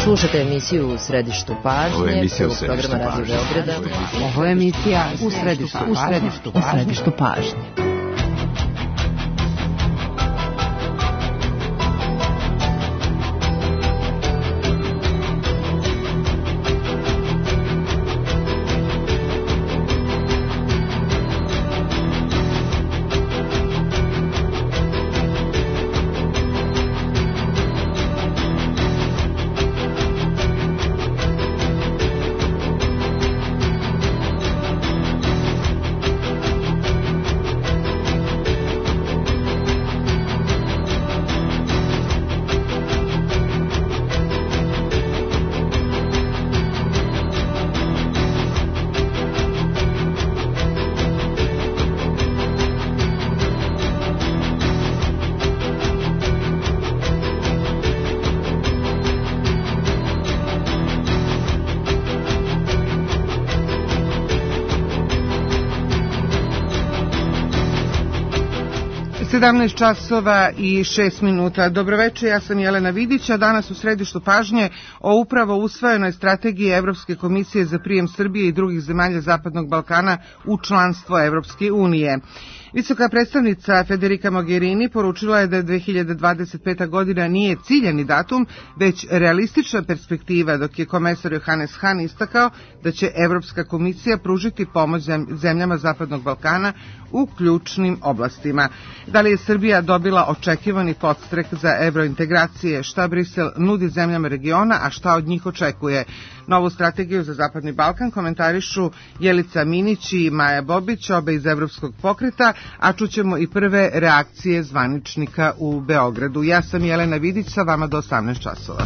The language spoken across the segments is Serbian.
Slušajte emisiju U središtu pažnje, prvog programa Radio Beograda. Ovo je emisija U središtu pažnje. časova i 6 minuta. Dobroveče, ja sam Jelena Vidić, a danas u središtu pažnje o upravo usvojenoj strategiji Evropske komisije za prijem Srbije i drugih zemalja Zapadnog Balkana u članstvo Evropske unije. Visoka predstavnica Federica Mogherini poručila je da 2025. godina nije ciljani datum, već realistična perspektiva, dok je komesar Johannes Hahn istakao da će Evropska komisija pružiti pomoć zemljama Zapadnog Balkana u ključnim oblastima. Da li je Srbija dobila očekivani podstrek za evrointegracije, šta Brisel nudi zemljama regiona, a šta od njih očekuje? Novu strategiju za Zapadni Balkan komentarišu Jelica Minić i Maja Bobić, obe iz Evropskog pokreta, a čućemo i prve reakcije zvaničnika u Beogradu. Ja sam Jelena Vidić, sa vama do 18 časova.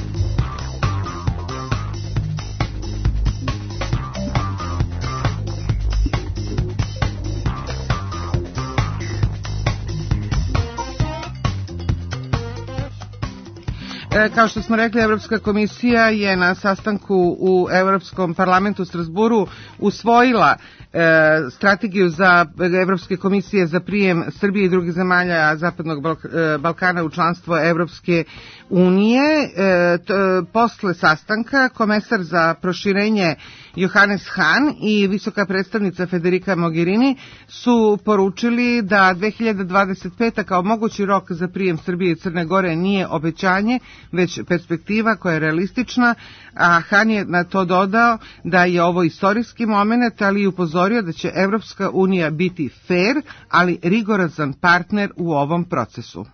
Kao što smo rekli, Evropska komisija je na sastanku u Evropskom parlamentu u Strasburu usvojila strategiju za Evropske komisije za prijem Srbije i drugih zemalja Zapadnog Balkana u članstvo Evropske unije. Posle sastanka komesar za proširenje Johannes Hahn i visoka predstavnica Federica Mogherini su poručili da 2025. kao mogući rok za prijem Srbije i Crne Gore nije obećanje, već perspektiva koja je realistična, a Hahn je na to dodao da je ovo istorijski moment, ali i upozorio da će Evropska unija biti fair, ali rigorozan partner u ovom procesu.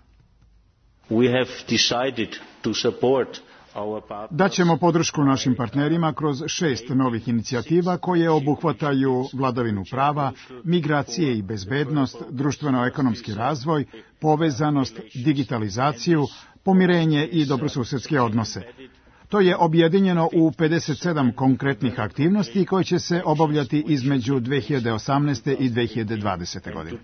Daćemo podršku našim partnerima kroz 6 novih inicijativa koje obuhvataju vladavinu prava, migracije i bezbednost, društveno-ekonomski razvoj, povezanost, digitalizaciju, pomirenje i dobrosusedske odnose. To je objedinjeno u 57 konkretnih aktivnosti koje će se obavljati između 2018. i 2020. godine.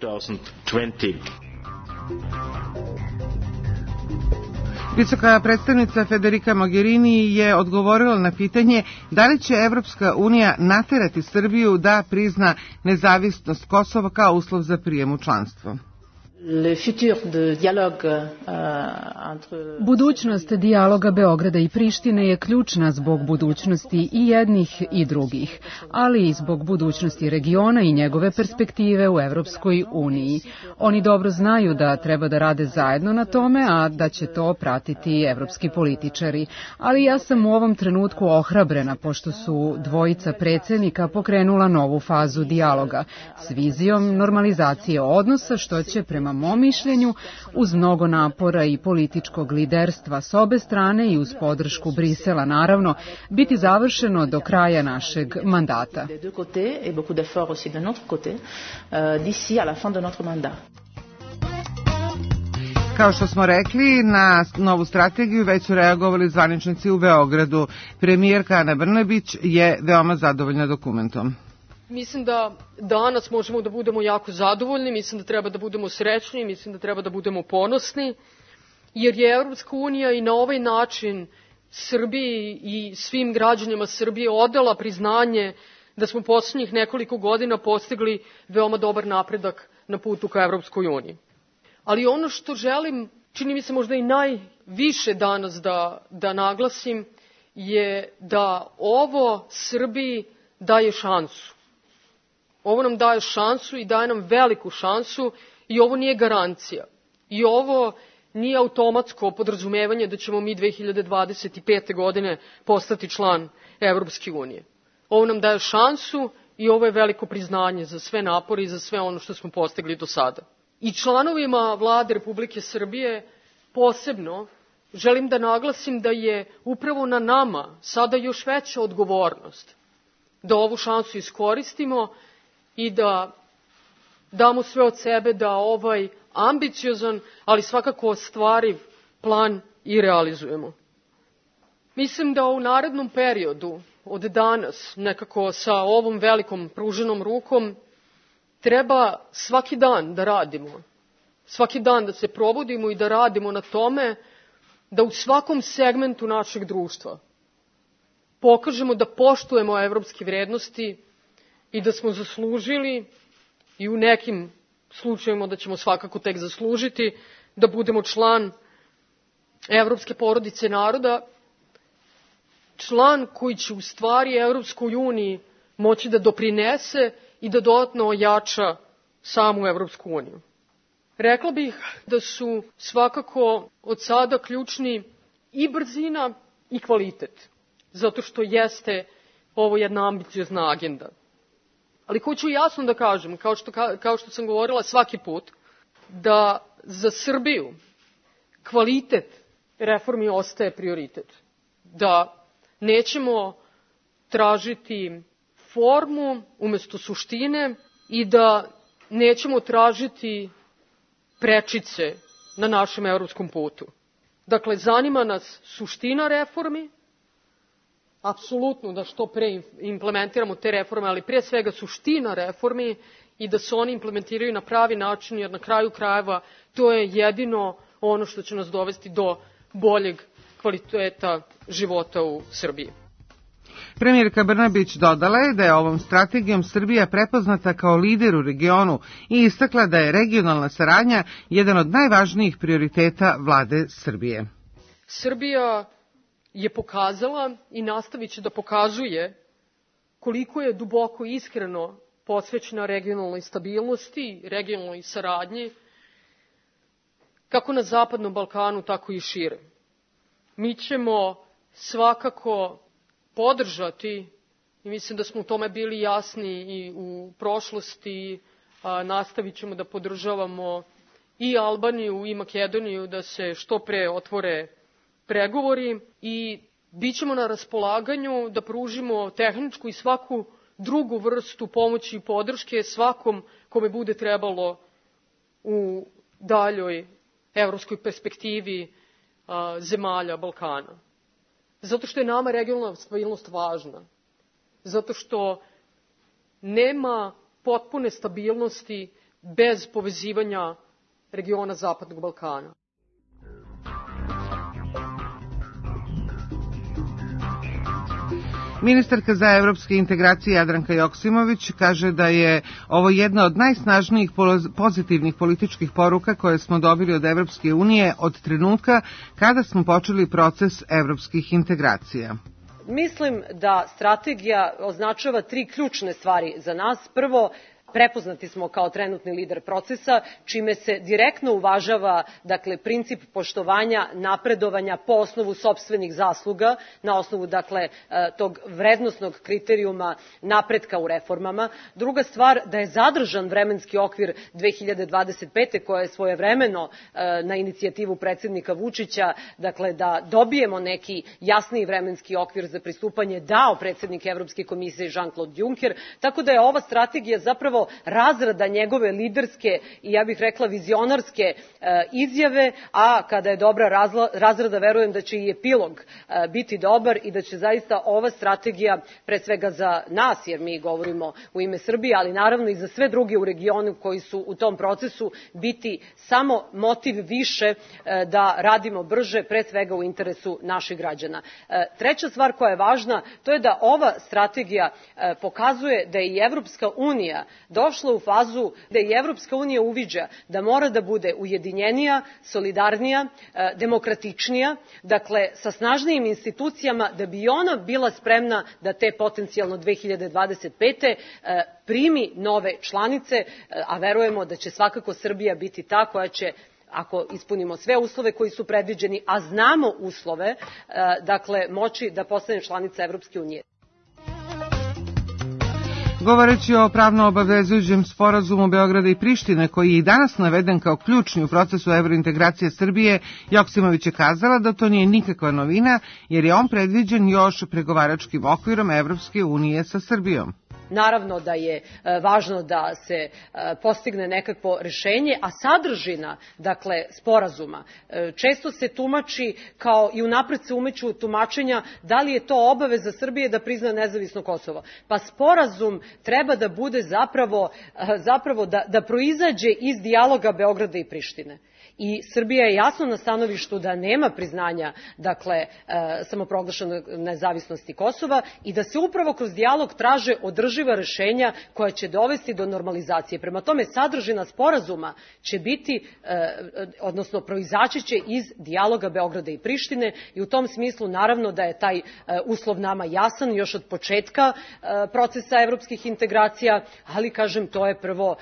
Visoka predstavnica Federica Mogherini je odgovorila na pitanje da li će Evropska unija naterati Srbiju da prizna nezavisnost Kosova kao uslov za prijem u članstvo. Budućnost dijaloga Beograda i Prištine je ključna zbog budućnosti i jednih i drugih, ali i zbog budućnosti regiona i njegove perspektive u Evropskoj uniji. Oni dobro znaju da treba da rade zajedno na tome, a da će to pratiti evropski političari. Ali ja sam u ovom trenutku ohrabrena, pošto su dvojica predsednika pokrenula novu fazu dijaloga s vizijom normalizacije odnosa, što će prema mom mišljenju, uz mnogo napora i političkog liderstva s obe strane i uz podršku Brisela, naravno, biti završeno do kraja našeg mandata. Kao što smo rekli, na novu strategiju već su reagovali zvaničnici u Beogradu. Premijerka Ana Brnabić je veoma zadovoljna dokumentom. Mislim da danas možemo da budemo jako zadovoljni, mislim da treba da budemo srećni, mislim da treba da budemo ponosni, jer je Evropska unija i na ovaj način Srbiji i svim građanima Srbije odala priznanje da smo poslednjih nekoliko godina postigli veoma dobar napredak na putu ka Evropskoj uniji. Ali ono što želim, čini mi se možda i najviše danas da naglasim, je da ovo Srbiji daje šansu. Ovo nam daje šansu i daje nam veliku šansu i ovo nije garancija. I ovo nije automatsko podrazumevanje da ćemo mi 2025. godine postati član Evropske unije. Ovo nam daje šansu i ovo je veliko priznanje za sve napore i za sve ono što smo postigli do sada. I članovima Vlade Republike Srbije posebno želim da naglasim da je upravo na nama sada još veća odgovornost da ovu šansu iskoristimo i da damo sve od sebe da ovaj ambiciozan, ali svakako ostvariv plan i realizujemo. Mislim da u narednom periodu od danas, nekako sa ovom velikom pruženom rukom, treba svaki dan da radimo. Svaki dan da se probudimo i da radimo na tome da u svakom segmentu našeg društva pokažemo da poštujemo evropske vrednosti i da smo zaslužili i u nekim slučajevima da ćemo svakako tek zaslužiti da budemo član evropske porodice naroda, član koji će u stvari Evropskoj uniji moći da doprinese i da dodatno ojača samu Evropsku uniju. Rekla bih da su svakako od sada ključni i brzina i kvalitet, zato što jeste ovo jedna ambiciozna agenda. Ali hoću jasno da kažem, kao što sam govorila svaki put, da za Srbiju kvalitet reformi ostaje prioritet. Da nećemo tražiti formu umesto suštine i da nećemo tražiti prečice na našem evropskom putu. Dakle, zanima nas suština reformi, apsolutno da što pre implementiramo te reforme, ali prije svega suština reformi i da se oni implementiraju na pravi način, jer na kraju krajeva to je jedino ono što će nas dovesti do boljeg kvaliteta života u Srbiji. Premijerka Brnabić dodala je da je ovom strategijom Srbija prepoznata kao lider u regionu i istakla da je regionalna saradnja jedan od najvažnijih prioriteta vlade Srbije. Srbija je pokazala i nastavit će da pokazuje koliko je duboko i iskreno posvećena regionalnoj stabilnosti, regionalnoj saradnji, kako na Zapadnom Balkanu, tako i šire. Mi ćemo svakako podržati, i mislim da smo u tome bili jasni i u prošlosti, nastavit ćemo da podržavamo i Albaniju i Makedoniju da se što pre otvore pregovori i bit ćemo na raspolaganju da pružimo tehničku i svaku drugu vrstu pomoći i podrške svakom kome bude trebalo u daljoj evropskoj perspektivi zemalja Balkana. Zato što je nama regionalna stabilnost važna. Zato što nema potpune stabilnosti bez povezivanja regiona Zapadnog Balkana. Ministarka za evropske integracije Jadranka Joksimović kaže da je ovo jedna od najsnažnijih pozitivnih političkih poruka koje smo dobili od Evropske unije od trenutka kada smo počeli proces evropskih integracija. Mislim da strategija označava 3 ključne stvari za nas. Prvo, prepoznati smo kao trenutni lider procesa, čime se direktno uvažava, dakle, princip poštovanja, napredovanja po osnovu sopstvenih zasluga, na osnovu, dakle, tog vrednosnog kriterijuma napretka u reformama. Druga stvar, da je zadržan vremenski okvir 2025. koja je svojevremeno na inicijativu predsjednika Vučića, dakle, da dobijemo neki jasniji vremenski okvir za pristupanje dao predsjednik Evropske komisije Jean-Claude Juncker, tako da je ova strategija zapravo razrada njegove liderske i, ja bih rekla, vizionarske izjave, a kada je dobra razrada, verujem da će i epilog biti dobar i da će zaista ova strategija, pre svega za nas, jer mi govorimo u ime Srbije, ali naravno i za sve druge u regionu koji su u tom procesu, biti samo motiv više da radimo brže, pre svega u interesu naših građana. Treća stvar koja je važna, to je da ova strategija pokazuje da je i Evropska unija došla u fazu da i Evropska unija uviđa da mora da bude ujedinjenija, solidarnija, demokratičnija, dakle sa snažnijim institucijama da bi ona bila spremna da te potencijalno 2025. primi nove članice, a verujemo da će svakako Srbija biti ta koja će, ako ispunimo sve uslove koji su predviđeni, a znamo uslove, dakle moći da postane članica Evropske unije. Govoreći o pravno obavezujućem sporazumu Beograda i Prištine, koji je i danas naveden kao ključni u procesu evrointegracije Srbije, Joksimović je kazala da to nije nikakva novina, jer je on predviđen još pregovaračkim okvirom Evropske unije sa Srbijom. Naravno da je važno da se postigne nekakvo rešenje, a sadržina, dakle, sporazuma često se tumači kao i unapred se umeću tumačenja da li je to obaveza Srbije da prizna nezavisno Kosovo. Pa sporazum treba da bude zapravo da proizađe iz dijaloga Beograda i Prištine. I Srbija je jasno na stanovištu da nema priznanja, dakle, samoproglašene nezavisnosti Kosova i da se upravo kroz dijalog traže održiva rešenja koja će dovesti do normalizacije. Prema tome, sadržina sporazuma će biti, odnosno proizaći će iz dijaloga Beograda i Prištine i u tom smislu naravno da je taj uslov nama jasan još od početka procesa evropskih integracija, ali kažem to je prvo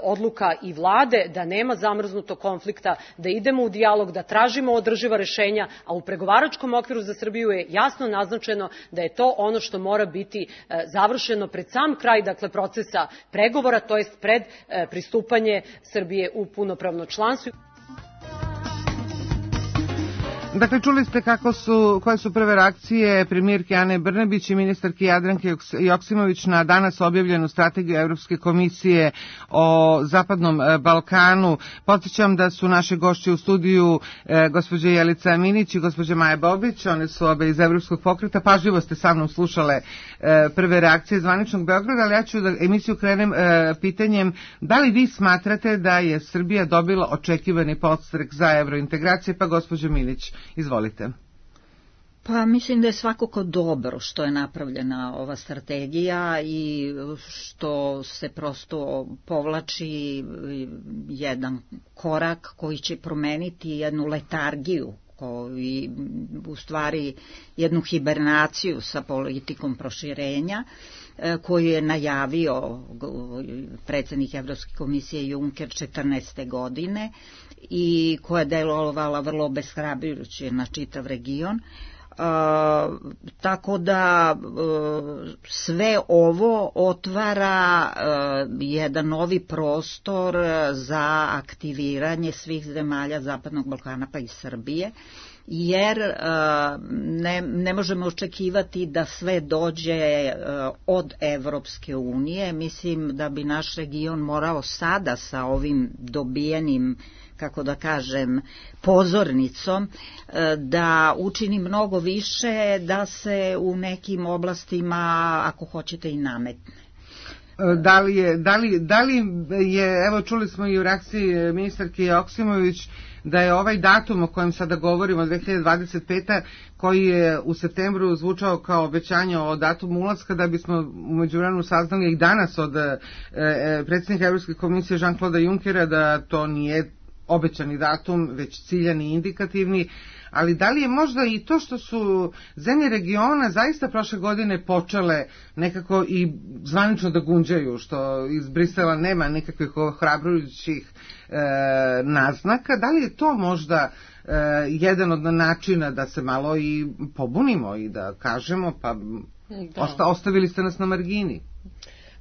odluka i vlade da nema zamrznutog konflikta, da idemo u dijalog, da tražimo održiva rešenja, a u pregovaračkom okviru za Srbiju je jasno naznačeno da je to ono što mora biti završeno pred sam kraj, dakle, procesa pregovora, to jest pred pristupanje Srbije u punopravno članstvo. Dakle, čuli ste koje su prve reakcije premijerke Ane Brnabić i ministarke Jadranke Joksimović na danas objavljenu strategiju Evropske komisije o Zapadnom Balkanu. Podsjećam da su naše gošće u studiju gospođa Jelica Aminić i gospođa Maja Bobić, one su obe iz Evropskog pokreta. Pažljivo ste sa mnom slušale prve reakcije zvaničnog Beograda, ali ja ću da emisiju krenem pitanjem da li vi smatrate da je Srbija dobila očekivani podstrek za evrointegracije, pa gospođa Milić. Izvolite. Pa mislim da je svakako dobro što je napravljena ova strategija i što se prosto povlači jedan korak koji će promeniti jednu letargiju i u stvari jednu hibernaciju sa politikom proširenja koju je najavio predsjednik Evropske komisije Juncker 2014. godine i koja je delovala vrlo obeshrabrujuće na čitav region. Tako da sve ovo otvara jedan novi prostor za aktiviranje svih zemalja Zapadnog Balkana pa i Srbije, jer ne možemo očekivati da sve dođe od Evropske unije. Mislim da bi naš region morao sada sa ovim dobijenim, kako da kažem, pozornicom da učini mnogo više, da se u nekim oblastima, ako hoćete, i nametne. Da li je, evo čuli smo i u reakciji ministarke Joksimović, da je ovaj datum o kojem sada govorimo, 2025. koji je u septembru zvučao kao obećanje o datumu ulaska, da bismo u međuvremenu saznali i danas od predsjednika Evropske komisije Jean-Claude Junckera da to nije obećani datum, već ciljani i indikativni, ali da li je možda i to što su zemlje regiona zaista prošle godine počele nekako i zvanično da gunđaju, što iz Brisela nema nekakvih ohrabrujućih naznaka, da li je to možda jedan od načina da se malo i pobunimo i da kažemo pa ostavili ste nas na margini?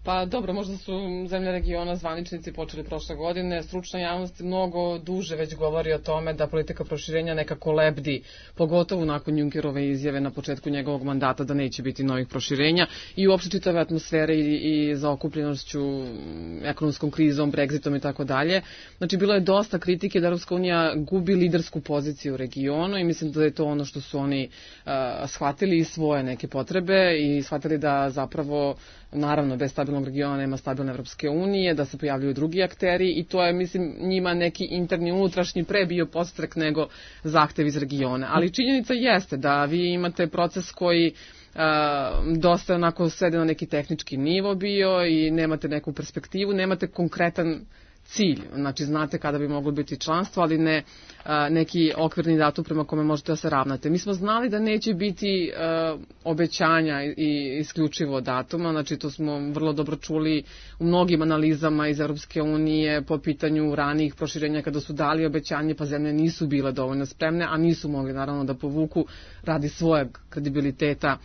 Pa dobro, možda su zemlje regiona zvaničnici počeli prošle godine, stručna javnost mnogo duže već govori o tome da politika proširenja nekako lebdi, pogotovo nakon Junckerove izjave na početku njegovog mandata da neće biti novih proširenja i uopšte čitave atmosfere i zaokupljenošću ekonomskom krizom, Brexitom i tako dalje. Znači, bilo je dosta kritike da Evropska unija gubi lidersku poziciju u regionu i mislim da je to ono što su oni shvatili i svoje neke potrebe i shvatili da zapravo naravno bez stabilnog regiona nema stabilne Evropske unije, da se pojavljuju drugi akteri i to je, mislim, njima neki interni, unutrašnji pre bio podstrek nego zahtev iz regiona. Ali činjenica jeste da vi imate proces koji dosta onako svede na neki tehnički nivo bio i nemate neku perspektivu, nemate konkretan cilj, znači znate kada bi moglo biti članstvo, ali ne neki okvirni datum prema kome možete da se ravnate. Mi smo znali da neće biti obećanja i isključivo datuma, znači to smo vrlo dobro čuli u mnogim analizama iz Europske unije po pitanju ranijih proširenja kada su dali obećanje pa zemlje nisu bile dovoljno spremne, a nisu mogli naravno da povuku radi svojeg kredibiliteta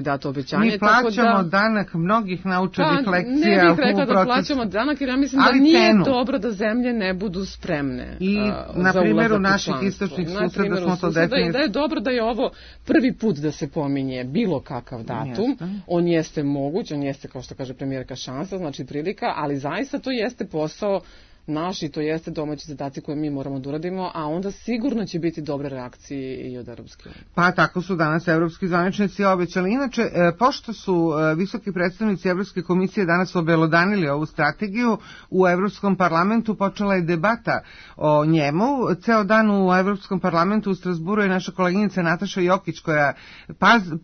dato obećanje. Mi plaćamo danak mnogih naučenih lekcija. Ne bih rekla da plaćamo danak, jer ja mislim da nije dobro da zemlje ne budu spremne i na primjeru naših istočnih suseda smo to definitivno. Da je dobro da je ovo prvi put da se pominje bilo kakav datum. On jeste moguć, on jeste, kao što kaže premijerka, šansa, znači prilika, ali zaista to jeste posao naš i to jeste domaći zadaci koje mi moramo da uradimo, a onda sigurno će biti dobre reakcije i od Europske unije. Pa tako su danas evropski zvaničnici obećali. Inače, pošto su visoki predstavnici Evropske komisije danas obelodanili ovu strategiju, u Evropskom parlamentu počela je debata o njemu. Ceo dan u Evropskom parlamentu u Strasburu je naša koleginica Nataša Jokić koja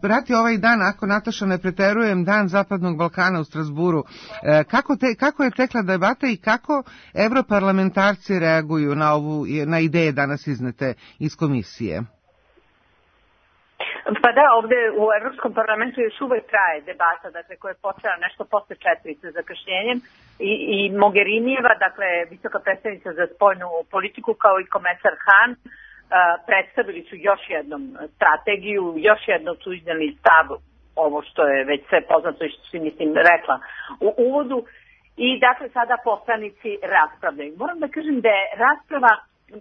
prati ovaj dan, ako Nataša ne preterujem, dan Zapadnog Balkana u Strasburu. Kako je tekla debata i kako evroparlamentarci reaguju na ideje danas iznete iz komisije? Pa da, ovde u Evropskom parlamentu još uvek traje debata, dakle, koja je počela nešto posle 4 sa zakašnjenjem i Mogherinijeva, dakle, visoka predstavnica za spoljnu politiku, kao i komesar Han, predstavili su još jednom strategiju, još jednom su izneli stav, ovo što je već sve poznato i što si, mislim, rekla u uvodu. I dakle sada poslanici raspravljaju. Moram da kažem da je rasprava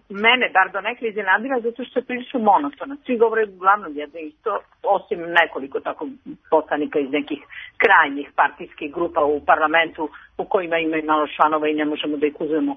mene bar do nekle iznenadila zato što je prilično monotona. Svi govore uglavnom jedno isto, osim nekoliko tako poslanika iz nekih krajnjih partijskih grupa u parlamentu u kojima ima i malo članova i ne možemo da ih uzmemo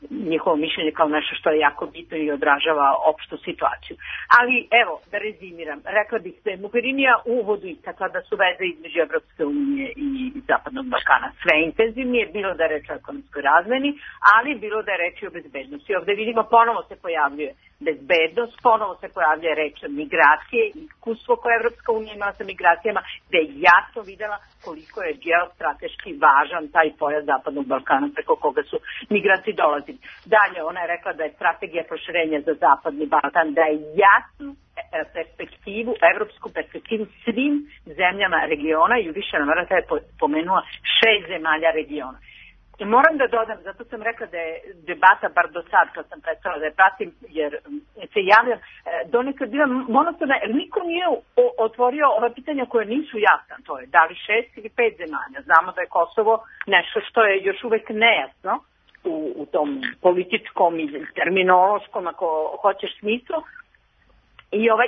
njihovo mišljenje kao nešto što je jako bitno i odražava opštu situaciju. Ali evo, da rezimiram, rekla bih da je Mogherinija u uvodu istakla da su veze između Evropske unije i Zapadnog Balkana sve intenzivnije, bilo da je reč o ekonomskoj razmeni, ali bilo da je reč o bezbednosti. Ovde vidimo ponovo se pojavljuje bezbednost, ponovo se pojavljuje reč migracije i iskustvo koje Evropska unija imala sa migracijama, gde je jasno videla koliko je geostrateški važan taj pojas Zapadnog Balkana preko koga su migranti dolazili. Dalje, ona je rekla da je strategija proširenja za Zapadni Balkan, da je jasnu perspektivu, evropsku perspektivu svim zemljama regiona i u više navrata je pomenula 6 zemalja regiona. I moram da dodam, zato sam rekla da je debata, bar do sad kad sam predstavila da je pratim, jer se javljam, donekad bila monotona, jer niko nije otvorio ova pitanja koje nisu jasna, to je da li 6 ili 5 zemalja. Znamo da je Kosovo nešto što je još uvek nejasno u tom političkom i terminološkom, ako hoćeš, smislu.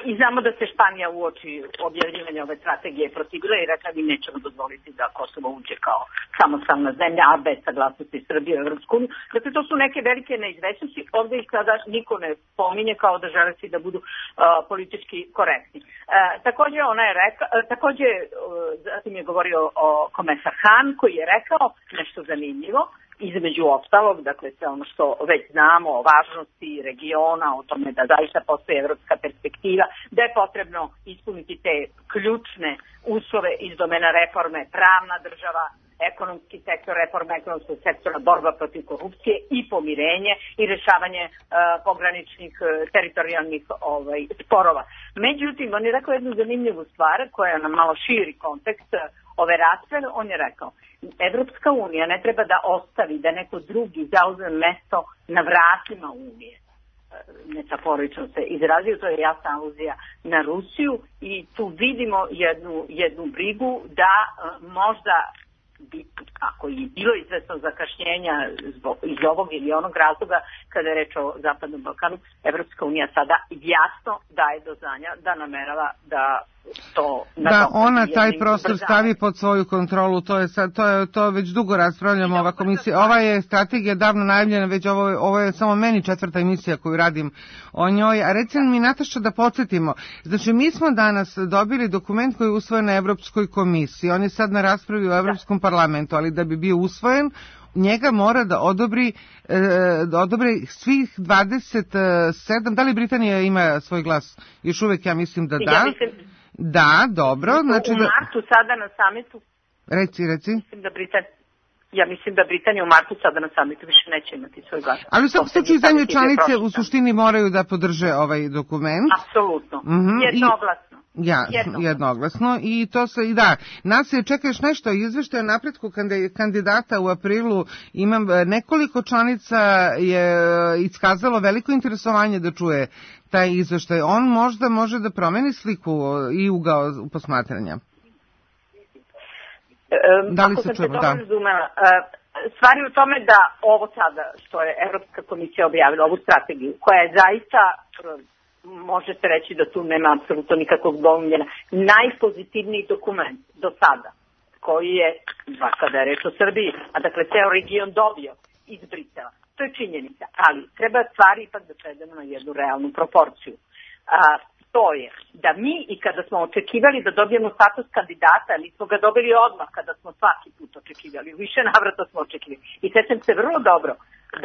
I znamo da se Španija uoči objavljivanja ove strategije protivila i rekla mi nećemo dozvoliti da Kosovo uđe kao samostalna zemlja, a bez saglasnosti Srbije u Evropsku uniju. Dakle, to su neke velike neizvesnosti. Ovde ih sada niko ne pominje kao da žele svi da budu politički korektni. Takođe, zatim je govorio o komesar Han koji je rekao nešto zanimljivo, između ostalog, dakle sve ono što već znamo o važnosti regiona, o tome da zaista postoji evropska perspektiva, da je potrebno ispuniti te ključne uslove iz domena reforme, pravna država, ekonomski sektor, reforma ekonomskog sektora, borba protiv korupcije i pomirenje i rešavanje pograničnih teritorijalnih sporova. Međutim, on je rekao jednu zanimljivu stvar koja je na malo širi kontekst ove rasprave. On je rekao, Evropska unija ne treba da ostavi da neko drugi zauzme mesto na vratima Unije. Metaforično se izrazio, to je jasna aluzija na Rusiju i tu vidimo jednu brigu da možda ako je bilo izvesno zakašnjenja iz ovog ili onog razloga kada je reč o Zapadnom Balkanu, Evropska unija sada jasno daje do znanja da namerava da to da ona taj prostor stavi pod svoju kontrolu, to već dugo raspravljamo. Ova komisija, ova je strategija davno najavljena, već ovo je samo meni 4. emisija koju radim o njoj. A recimo mi, Nataša, da podsjetimo, znači mi smo danas dobili dokument koji je usvojen na Evropskoj komisiji, on je sad na raspravi u Evropskom parlamentu, ali da bi bio usvojen njega mora da odobri svih 27, da li Britanija ima svoj glas? Još uvek ja mislim da da. Ja mislim, da, dobro. Znači u martu sada na samitu. Reci. Ja mislim da Britanija u martu sada na samitu više neće imati svoj glas. Ali u svakom slučaju zemlje članice u suštini moraju da podrže ovaj dokument. Apsolutno. Jednoglasno. Jednoglasno i to se, nas je, čekaš nešto, izveštaj o napretku kandidata u aprilu, imam nekoliko članica je iskazalo veliko interesovanje da čuje taj izveštaj. On možda može da promeni sliku i ugao posmatranja. Da li se čujemo? Da. Stvar je u tome da ovo sada što je Evropska komisija objavila, ovu strategiju, koja je zaista, možete reći da tu nema apsolutno nikakvog dvoumljenja, najpozitivniji dokument do sada, koji je, kada je reč o Srbiji, a dakle ceo region dobio iz Brisela. To je činjenica, ali treba stvari ipak da svedemo na jednu realnu proporciju. To je da mi i kada smo očekivali da dobijemo status kandidata, ali smo ga dobili odmah kada smo svaki put očekivali, više navrata smo očekivali. I sećam se vrlo dobro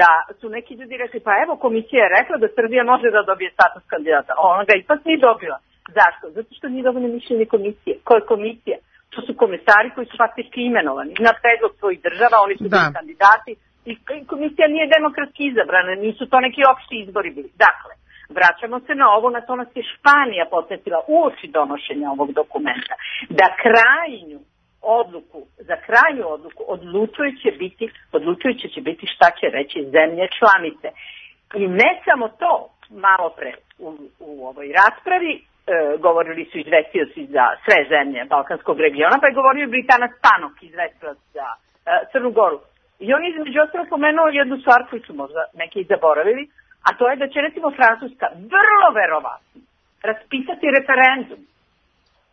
da su neki ljudi rekli, pa evo komisija je rekla da Srbija može da dobije status kandidata, a ona ga ipak nije dobila. Zašto? Zato što nije dovoljno mišljenje komisije. Ko je komisija? To su komesari koji su faktički imenovani na predlog svojih država, oni su bili kandidati i komisija nije demokratski izabrana, nisu to neki opšti izbori bili. Dakle, vraćamo se na ovo, na to nas je Španija podsjetila uoči donošenja ovog dokumenta, da za krajnju odluku odlučujuće će biti šta će reći zemlje članice. I ne samo to, malo pre u ovoj raspravi govorili su izvestioci za sve zemlje Balkanskog regiona, pa je govorio i Britanac Tanok, izvestilac za Crnu Goru. I on između ostalog pomenuo jednu stvar koju su možda neki zaboravili, a to je da će recimo Francuska vrlo verovatno raspisati referendum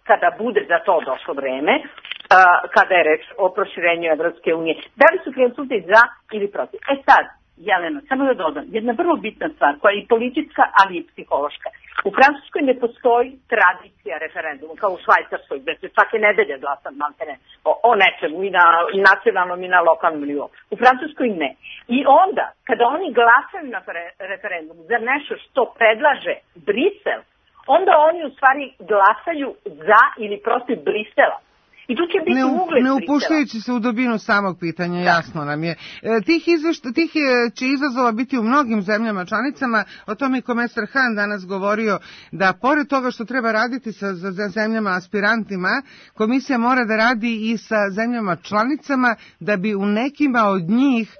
kada bude za to došlo vreme, kada je reč o proširenju Evropske unije. Da li su Francuzi za ili protiv? Sad, Jelena, samo da dodam, jedna vrlo bitna stvar koja je i politička, ali i psihološka. U Francuskoj ne postoji tradicija referenduma, kao u Švajcarskoj, gde se svake nedelje glasa o nečemu i na nacionalnom i na lokalnom nivou. U Francuskoj ne. I onda, kada oni glasaju na referendum za nešto što predlaže Brisel, onda oni u stvari glasaju za ili protiv Brisela. I tu će biti ugled ne upuštajući se u dubinu samog pitanja, jasno nam je. Tih će izazova biti u mnogim zemljama članicama, o tome i komesar Han danas govorio, da pored toga što treba raditi sa zemljama aspirantima, komisija mora da radi i sa zemljama članicama, da bi u nekima od njih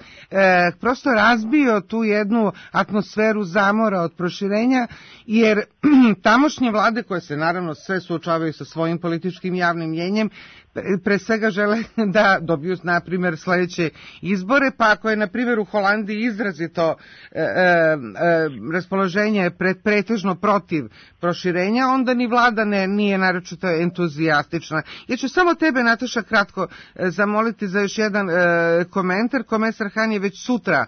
prosto razbio tu jednu atmosferu zamora od proširenja, jer tamošnje vlade, koje se naravno sve suočavaju sa svojim političkim javnim mjenjem, pre svega žele da dobiju, na primjer, sledeće izbore, pa ako je, na primjer, u Holandiji izrazito raspoloženje pretežno protiv proširenja, onda ni vlada nije naročito entuzijastična. Ja ću samo tebe, Nataša, kratko zamoliti za još jedan komentar. Komesar Han je već sutra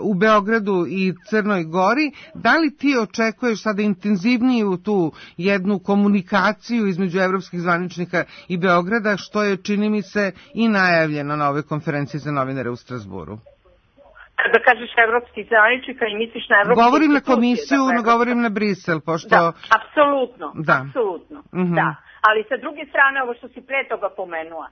u Beogradu i Crnoj Gori. Da li ti očekuješ sada intenzivniju tu jednu komunikaciju između evropskih zvaničnika i Beograda, što je, čini mi se, i najavljeno na ovoj konferenciji za novinare u Strasburu? Kada kažeš evropskih zvaničnika i misliš na evropske institucije? Govorim na komisiju, govorim na Brisel, pošto... Da, apsolutno. Da. Ali sa druge strane, ovo što si pre toga pomenula,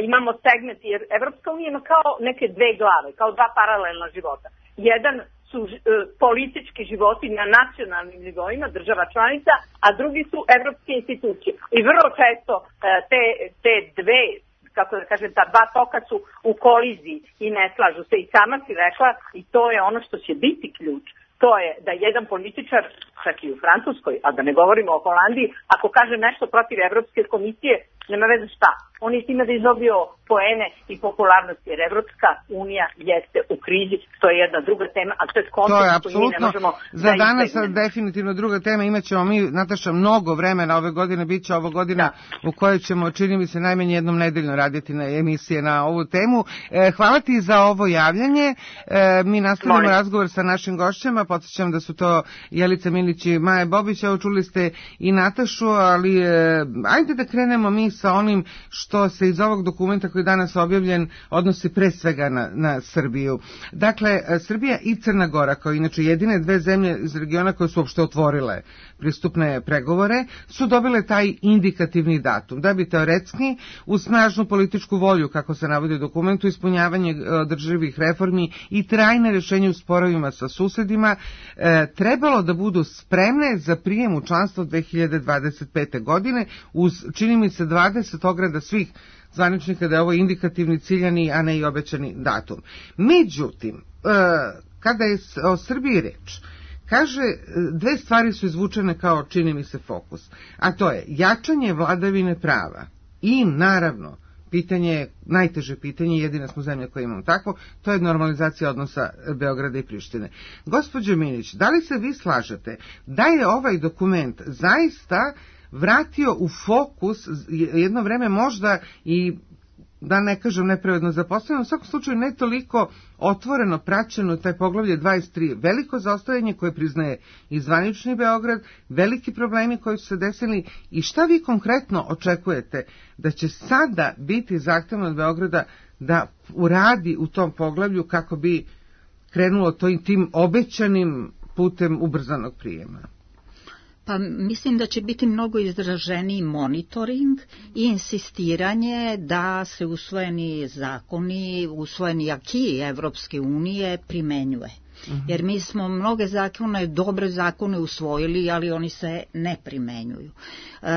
imamo segment, jer Evropska unija ima kao neke dve glave, kao dva paralelna života. Jedan su politički životi na nacionalnim nivoima država članica, a drugi su evropske institucije. I vrlo često te dve, kako da kažem, ta dva toka su u koliziji i ne slažu se. I sama si rekla, i to je ono što će biti ključ, to je da jedan političar, čak i u Francuskoj, a da ne govorimo o Holandiji, ako kaže nešto protiv Evropske komisije, nema veze šta. On je time da izobio poene i popularnost, jer Evropska unija jeste u krizi, to je jedna druga tema, a to je kontekst koji mi ne možemo za danas definitivno druga tema. Imaćemo mi, Nataša, mnogo vremena ove godine, bit će ova godina u kojoj ćemo, čini mi se, najmanje jednom nedeljno raditi na emisije na ovu temu. Hvala ti za ovo javljanje. Mi nastavljamo razgovor sa našim gošćama. Podsjećam da su to Jelica Milić i Maja Bobić. Evo, čuli ste i Natašu, ali ajde da krenemo mi sa onim što se iz ovog dokumenta koji je danas objavljen odnosi pre svega na Srbiju. Dakle, Srbija i Crna Gora, kao inače jedine dve zemlje iz regiona koje su uopšte otvorile pristupne pregovore, su dobile taj indikativni datum, da bi teoretski uz snažnu političku volju, kako se navodi u dokumentu, ispunjavanje održivih reformi i trajne rešenje u sporovima sa susedima, trebalo da budu spremne za prijem u članstvo 2025. godine uz, čini mi se, 20 ograda svih zvaničnika da je ovo indikativni, ciljani, a ne i obećani datum. Međutim, kada je o Srbiji reč, kaže, dve stvari su izvučene kao, čini mi se, fokus, a to je jačanje vladavine prava i, naravno, pitanje, najteže pitanje, jedina smo zemlja koja imamo takvo, to je normalizacija odnosa Beograda i Prištine. Gospođo Milić, da li se vi slažete da je ovaj dokument zaista vratio u fokus jedno vreme možda i, da ne kažem nepravedno zaposleno, u svakom slučaju ne toliko otvoreno praćeno taj poglavlje 23, veliko zaostajanje koje priznaje i zvanični Beograd, veliki problemi koji su se desili i šta vi konkretno očekujete da će sada biti zahtevno od Beograda da uradi u tom poglavlju kako bi krenulo tim obećanim putem ubrzanog prijema? Pa mislim da će biti mnogo izraženiji monitoring i insistiranje da se usvojeni zakoni, usvojeni aki Evropske unije primenjuje. Jer mi smo mnoge zakone, dobre zakone usvojili, ali oni se ne primenjuju.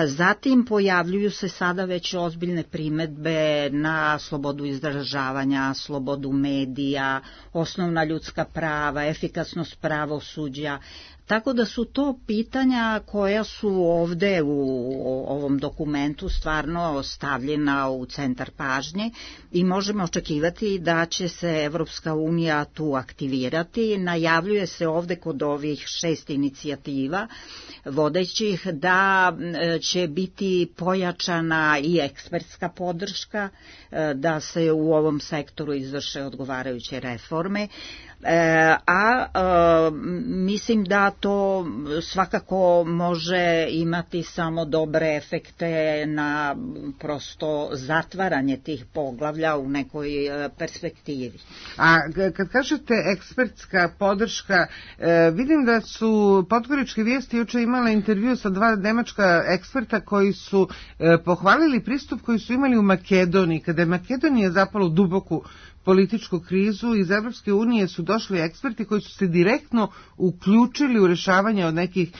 Zatim pojavljuju se sada već ozbiljne primedbe na slobodu izražavanja, slobodu medija, osnovna ljudska prava, efikasnost pravosuđa. Tako da su to pitanja koja su ovde u ovom dokumentu stvarno stavljena u centar pažnje i možemo očekivati da će se Evropska unija tu aktivirati. Najavljuje se ovde kod ovih 6 inicijativa vodećih da će biti pojačana i ekspertska podrška, da se u ovom sektoru izvrše odgovarajuće reforme. Mislim da to svakako može imati samo dobre efekte na prosto zatvaranje tih poglavlja u nekoj perspektivi. A kad kažete ekspertska podrška, vidim da su Podgoričke vijesti juče imale intervju sa 2 nemačka eksperta koji su pohvalili pristup koji su imali u Makedoniji, kada je Makedonija zapala u duboku političku krizu. Iz Evropske unije su došli eksperti koji su se direktno uključili u rešavanje od nekih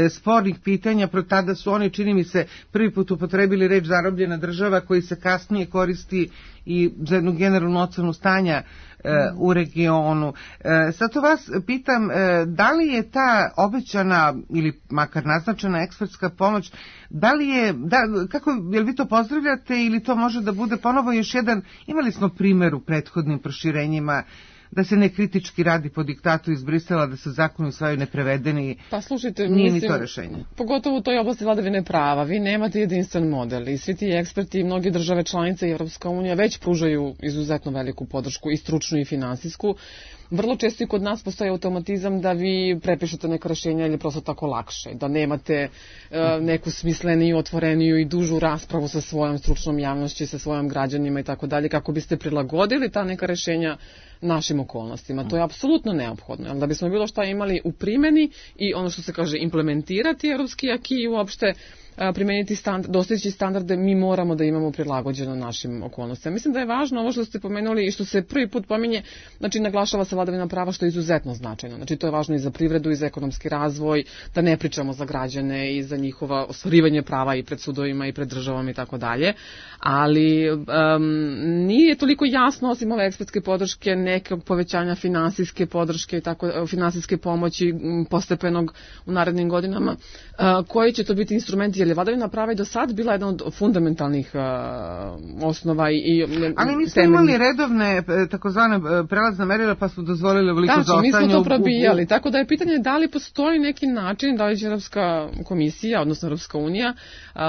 spornih pitanja. Pro tada su oni, čini mi se, prvi put upotrebili reč zarobljena država, koji se kasnije koristi i za jednu generalnu ocenu stanja u regionu. Sad to vas pitam, da li je ta obećana ili makar naznačena ekspertska pomoć, da li je, jel vi to pozdravljate ili to može da bude ponovo još jedan, imali smo primjer u prethodnim proširenjima, da se nekritički radi po diktatu iz Brisela, da se zakoni usvajaju neprevedeni. Pa slušajte, nije ni to rešenje. Pogotovo u toj oblasti vladavine prava. Vi nemate jedinstven model i svi ti eksperti i mnogi države članice i Evropska unija već pružaju izuzetno veliku podršku i stručnu i finansijsku. Vrlo često i kod nas postoji automatizam da vi prepišete neka rešenja ili prosto tako lakše, da nemate neku smisleniju, otvoreniju i dužu raspravu sa svojom stručnom javnošću, sa svojim građanima i tako dalje, kako biste prilagodili ta neka rešenja našim okolnostima. To je apsolutno neophodno. Da bismo bilo šta imali u primjeni i ono što se kaže implementirati evropski aki i uopšte primeniti dostići standarde, mi moramo da imamo prilagođeno našim okolnostima. Mislim da je važno ovo što ste pomenuli i što se prvi put pominje, znači naglašava se vladavina prava, što je izuzetno značajno. Znači to je važno i za privredu i za ekonomski razvoj, da ne pričamo za građane i za njihova ostvarivanje prava i pred sudovima i pred državom i tako dalje. Ali nije toliko jasno, osim ove ekspertske podrške, nekog povećanja finansijske podrške i tako, finansijske pomoći postepenog u narednim godinama, koji će to biti instrumenti, jer je vladavina prava i do sad bila jedna od fundamentalnih osnova i ali mi smo imali redovne takozvane prelazne merila pa smo dozvolili veliko zaostajanje. Mi smo to probijali, tako da je pitanje da li postoji neki način, da li će Evropska komisija, odnosno Evropska unija,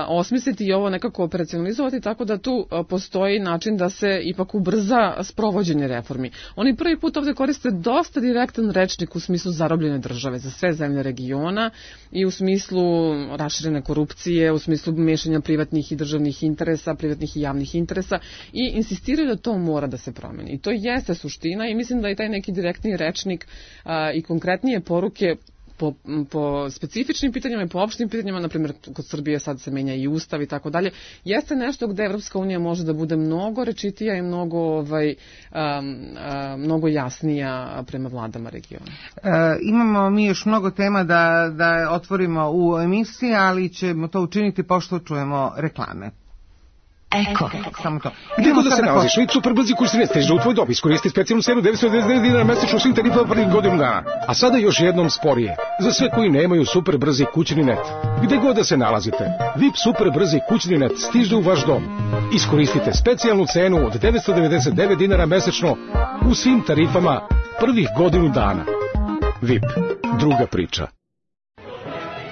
osmisliti i ovo nekako operacionalizovati, tako da tu postoji način da se ipak ubrza sprovođenje reformi. Oni prvi put ovde koriste dosta direktan rečnik u smislu zarobljene države za sve zemlje regiona i u smislu raširene korupcije, u smislu mešanja privatnih i državnih interesa, privatnih i javnih interesa i insistiraju da to mora da se promeni. I to jeste suština i mislim da je taj neki direktni rečnik i konkretnije poruke po specifičnim pitanjima i po opštim pitanjima, na primjer kod Srbije sad se menja i ustav i tako dalje, jeste nešto gde Evropska unija može da bude mnogo rečitija i mnogo jasnija prema vladama regiona. Imamo mi još mnogo tema da otvorimo u emisiji, ali ćemo to učiniti pošto čujemo reklame. Eko. Samo to. Gdje god da se nalaziš, Vip super brzi kurs ne stiže u tvoj dob. Iskoristi specijalnu cenu 999 dinara mesečno svim tarifama prvih godinu dana. A sada još jednom sporije. Za sve koji nemaju super brzi kućni net. Gdje god da se nalazite, Vip super brzi kućni net stiže u vaš dom. Iskoristite specijalnu cenu od 999 dinara mesečno u svim tarifama prvih godinu dana. Vip, druga priča.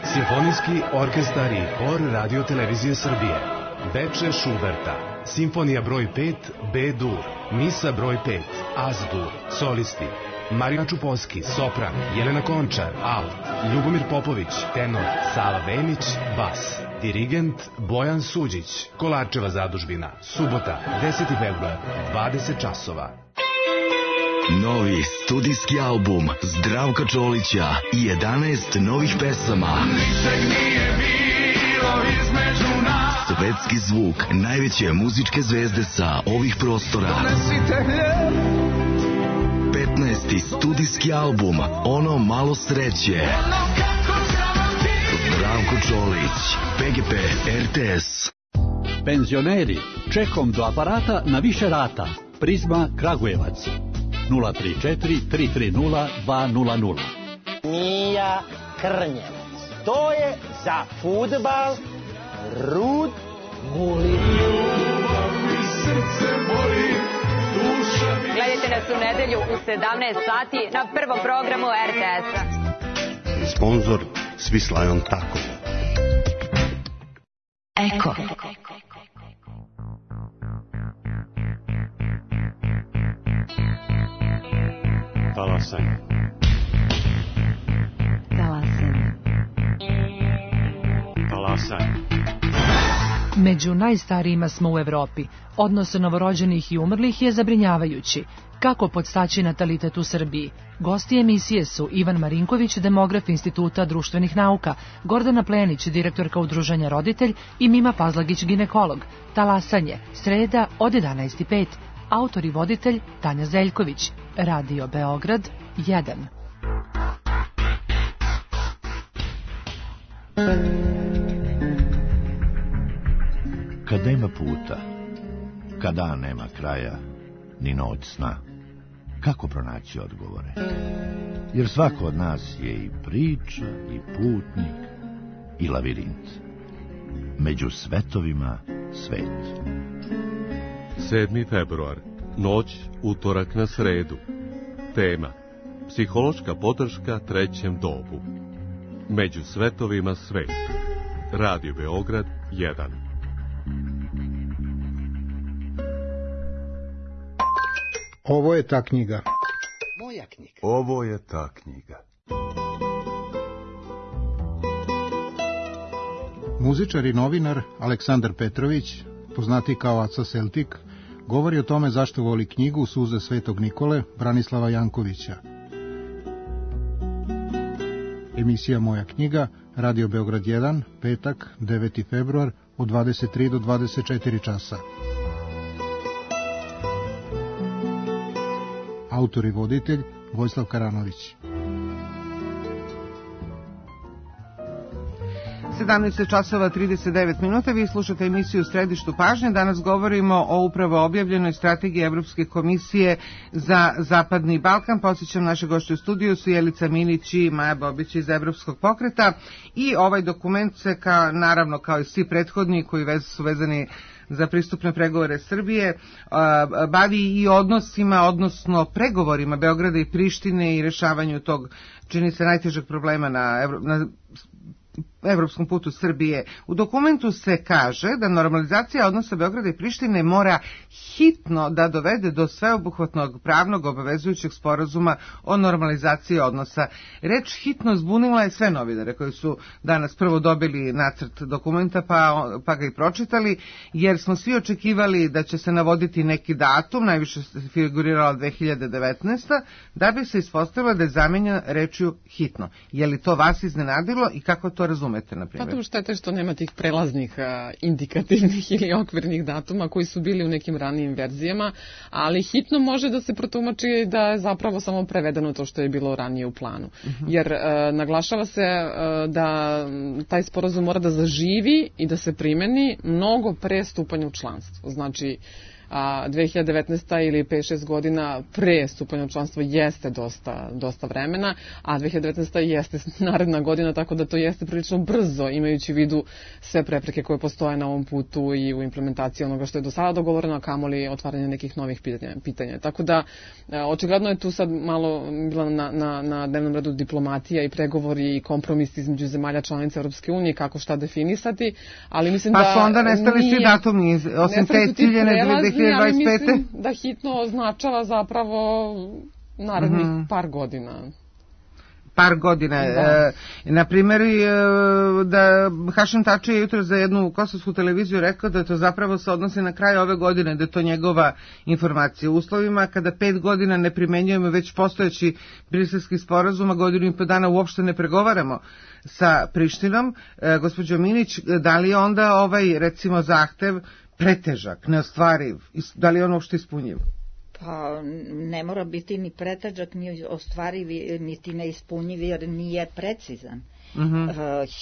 Simfonijski orkestar i hor Radio Televizije Srbije. Veče Šuberta, Simfonija broj 5, B-dur, Misa broj 5, Az-dur, solisti, Marija Čupovski, sopran, Jelena Končar, alt, Ljubomir Popović, tenor, Sava Vemić, bas, dirigent Bojan Suđić, Kolarčeva zadužbina, subota, 10. februar, 20 časova. Novi studijski album Zdravka Čolića i 11 novih pesama. Ničeg nije bilo između nas. Svetski zvuk najveće muzičke zvezde sa ovih prostora. 15. studijski album Ono malo sreće. Zdravko Čolić, PGP RTS. Penzioneri, čekom do aparata na više rata. Prizma Kragujevac. 034 330 200. Mija Krnjevac. To je za fudbal Rud Gulin. Gledajte nas u nedelju u 17 sati na prvom programu RTS-a. Sponzor Swiss Tako. Eko. Talasanje. Među najstarijima smo u Evropi. Odnos novorođenih i umrlih je zabrinjavajući. Kako podstaći natalitet u Srbiji? Gosti emisije su Ivan Marinković, demograf Instituta društvenih nauka, Gordana Plenić, direktorka Udruženja Roditelj i Mima Pazlagić, ginekolog. Talasanje, sreda od 11:05. Autor i voditelj Tanja Zeljković. Radio Beograd 1. Kad nema puta, kad dan nema kraja, ni noć sna, kako pronaći odgovore? Jer svako od nas je i priča, i putnik, i lavirint. Među svetovima svet. 7. februar, noć, utorak na sredu. Tema: psihološka podrška trećem dobu. Među svetovima svet. Radio Beograd 1. Ovo je ta knjiga. Moja knjiga. Ovo je ta knjiga. Muzičar i novinar Aleksandar Petrović, poznati kao Aca Celtik, govori o tome zašto voli knjigu Suze Svetog Nikole Branislava Jankovića. Emisija Moja knjiga, Radio Beograd 1, petak, 9. februar, od 23 do 24 časa. Autor i voditelj Vojislav Karanović. 17 časova 39 minuta, vi slušate emisiju Središtu pažnje. Danas govorimo o upravo objavljenoj strategiji Evropske komisije za Zapadni Balkan. Podsjećam, naše gošće u studiju su Jelica Minić i Maja Bobić iz Evropskog pokreta i ovaj dokument se, naravno kao i svi prethodni koji su vezani za pristupne pregovore Srbije, bavi i odnosima, odnosno pregovorima Beograda i Prištine i rešavanju tog, čini se, najtežeg problema na evropskom putu Srbije. U dokumentu se kaže da normalizacija odnosa Beograda i Prištine mora hitno da dovede do sveobuhvatnog pravnog obavezujućeg sporazuma o normalizaciji odnosa. Reč hitno zbunila je sve novinare koji su danas prvo dobili nacrt dokumenta pa ga i pročitali, jer smo svi očekivali da će se navoditi neki datum, najviše se figurirala 2019. da bi se ispostavilo da je zamenjena rečju hitno. Je li to vas iznenadilo i kako to razumete, na primjer? Pa tu štete što nema tih prelaznih indikativnih ili okvirnih datuma koji su bili u nekim ranijim verzijama, ali hitno može da se protumači da je zapravo samo prevedeno to što je bilo ranije u planu. Jer naglašava se da taj sporazum mora da zaživi i da se primeni mnogo pre stupanja u članstvo. Znači, 2019. ili 5-6 godina pre stupanja u članstvo jeste dosta vremena, a 2019. jeste naredna godina, tako da to jeste prilično brzo, imajući u vidu sve prepreke koje postoje na ovom putu i u implementaciji onoga što je do sada dogovoreno, a kamoli otvaranje nekih novih pitanja. Tako da, očigledno je tu sad malo bila na dnevnom redu diplomatija i pregovori i kompromis između zemalja članica Europske unije, kako šta definisati, ali mislim da... Pa su onda nestali svi datumi, osim te ciljene 2025. Ali mislim da hitno označava zapravo narednih par godina. Par godina. Na primjer, da Hašim Tači je jutro za jednu kosovsku televiziju rekao da to zapravo se odnosi na kraj ove godine, da je to njegova informacija. U uslovima kada 5 godina ne primenjujemo već postojeći briselski sporazum, a godinu i po dana uopšte ne pregovaramo sa Prištinom, gospođo Minić, da li je onda ovaj, recimo, zahtev pretežak, neostvariv, da li je on uopšte ispunjiv? Pa ne mora biti ni pretežak, ni ostvariv, niti neispunjiv, jer nije precizan.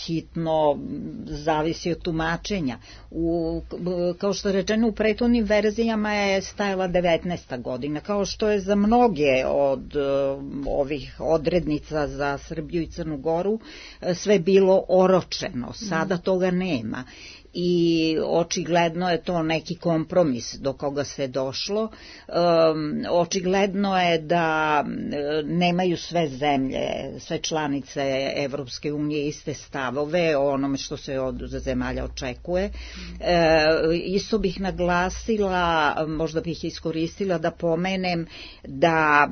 Hitno zavisi od tumačenja. Kao što je rečeno, u prethodnim verzijama je stajala 19. godina, kao što je za mnoge od ovih odrednica za Srbiju i Crnu Goru sve bilo oročeno. Sada toga nema. I očigledno je to neki kompromis do koga se došlo. Očigledno je da nemaju sve zemlje, sve članice Evropske unije iste stavove o onome što se od zemalja očekuje. Isto bih naglasila, možda bih iskoristila da pomenem da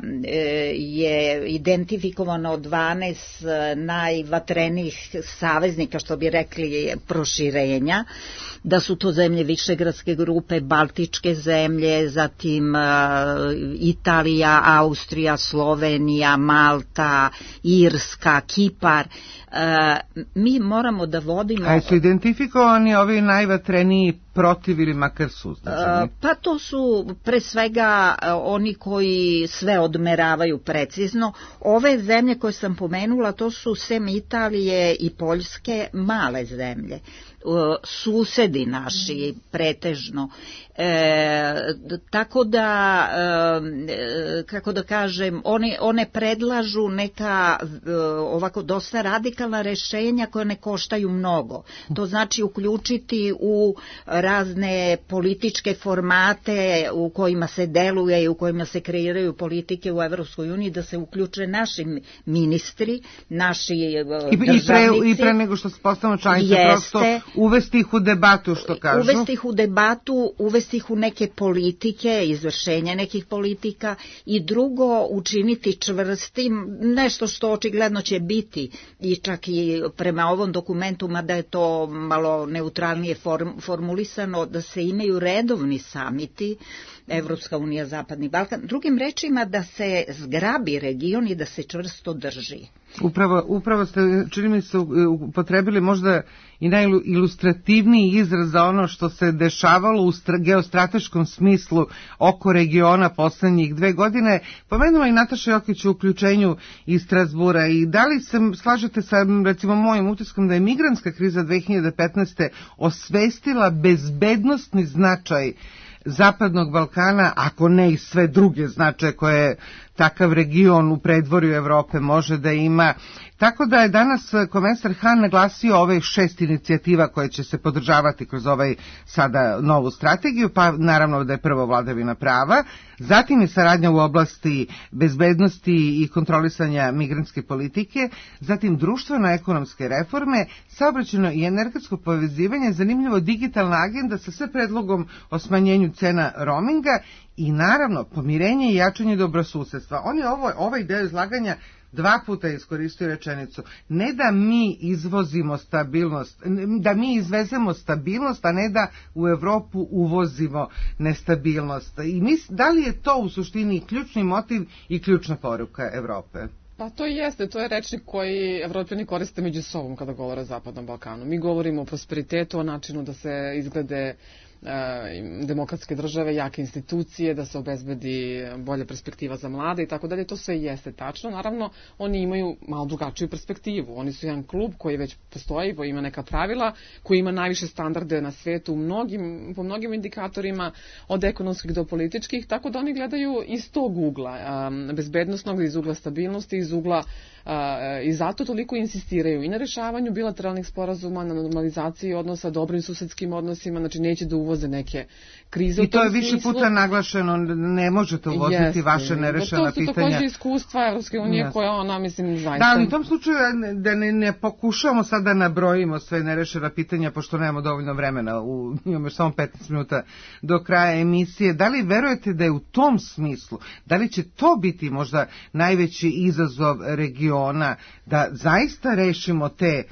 je identifikovano 12 najvatrenijih saveznika, što bi rekli, proširenja, da su to zemlje Višegradske grupe, Baltičke zemlje, zatim Italija, Austrija, Slovenija, Malta, Irska, Kipar. Mi moramo da vodimo... A su identifikovani ovi najvatreniji protiv ili makar suzdržani? Pa to su pre svega oni koji sve odmeravaju precizno. Ove zemlje koje sam pomenula, to su sem Italije i Poljske male zemlje, susedi naši pretežno. Tako da, kako da kažem, one predlažu neka ovako dosta radikalna rešenja koja ne koštaju mnogo. To znači uključiti u razne političke formate u kojima se deluje i u kojima se kreiraju politike u Evropskoj uniji, da se uključe naši ministri, naši državnici. I pre nego što se postanu članice, prosto uvesti ih u debatu, što kažu. Uvesti ih u debatu, uvesti ih u neke politike, izvršenje nekih politika, i drugo, učiniti čvrstim, nešto što očigledno će biti, i čak i prema ovom dokumentu, mada je to malo neutralnije formulisano, da se imaju redovni samiti Evropska unija, Zapadni Balkan. Drugim rečima, da se zgrabi region i da se čvrsto drži. Upravo ste, čini mi se, upotrebili možda i najilustrativniji izraz za ono što se dešavalo u geostrateškom smislu oko regiona poslednjih 2 godine. Pomenula i Nataša Jokić u uključenju iz Strazbura. I da li se slažete sa, recimo, mojim utiskom da je migrantska kriza 2015. osvestila bezbednosni značaj Zapadnog Balkana, ako ne i sve druge značaje koje takav region u predvorju Evrope može da ima. Tako da je danas komesar Han naglasio ove 6 inicijativa koje će se podržavati kroz ovaj sada novu strategiju, pa naravno da je prvo vladavina prava, zatim je saradnja u oblasti bezbednosti i kontrolisanja migrantske politike, zatim društveno-ekonomske reforme, saobraćajno i energetsko povezivanje, zanimljivo digitalna agenda sa sve predlogom o smanjenju cena roaminga i naravno pomirenje i jačanje dobrosusedstva. On je ovaj deo izlaganja 2 puta iskoristio rečenicu. Ne da mi izvozimo stabilnost, da mi izvezemo stabilnost, a ne da u Evropu uvozimo nestabilnost. I da li je to u suštini ključni motiv i ključna poruka Evrope? Pa to jeste, to je rečnik koji Evropljani koriste među sobom kada govore o Zapadnom Balkanu. Mi govorimo o prosperitetu, o načinu da se izglede demokratske države, jake institucije, da se obezbedi bolja perspektiva za mlade i tako dalje. To sve jeste tačno. Naravno, oni imaju malo drugačiju perspektivu. Oni su jedan klub koji već postoji, koji ima neka pravila, koji ima najviše standarde na svetu po mnogim indikatorima, od ekonomskih do političkih, tako da oni gledaju iz tog ugla, bezbednosnog, iz ugla stabilnosti, iz ugla i zato toliko insistiraju i na rešavanju bilateralnih sporazuma, na normalizaciji odnosa, dobrim susedskim odnosima, znači neće da uvoze neke krize u tom smislu. I to je više puta naglašeno, ne možete uvoziti vaše nerešena pitanja. To su takođe iskustva Evropske unije koja ona, mislim, zaista... Da, ali u tom slučaju da ne pokušamo sad da nabrojimo sve nerešena pitanja, pošto nemamo dovoljno vremena, imamo još samo 15 minuta do kraja emisije. Da li verujete da je u tom smislu, da li će to biti možda najveći izazov regiona, da zaista rešimo te,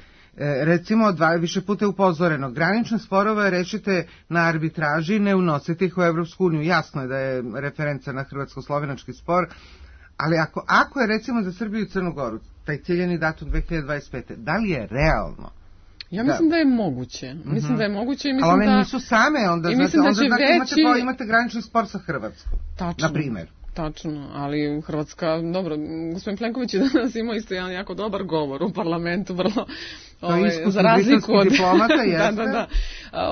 recimo, više puta je upozoreno, granične sporove rešite na arbitraži, ne unosite ih u Evropsku uniju. Jasno je da je referenca na hrvatsko-slovenački spor, ali ako je, recimo, za Srbiju i Crnu Goru taj ciljeni datum 2025. Da li je realno? Ja mislim da je moguće. Mislim da je moguće i mislim ali one da... nisu same, onda imate granični spor sa Hrvatskom, na primjer. Tačno, ali Hrvatska, dobro, gospodin Plenković je danas imao isto jedan jako dobar govor u parlamentu, vrlo, za razliku od... diplomata, jeste? Da.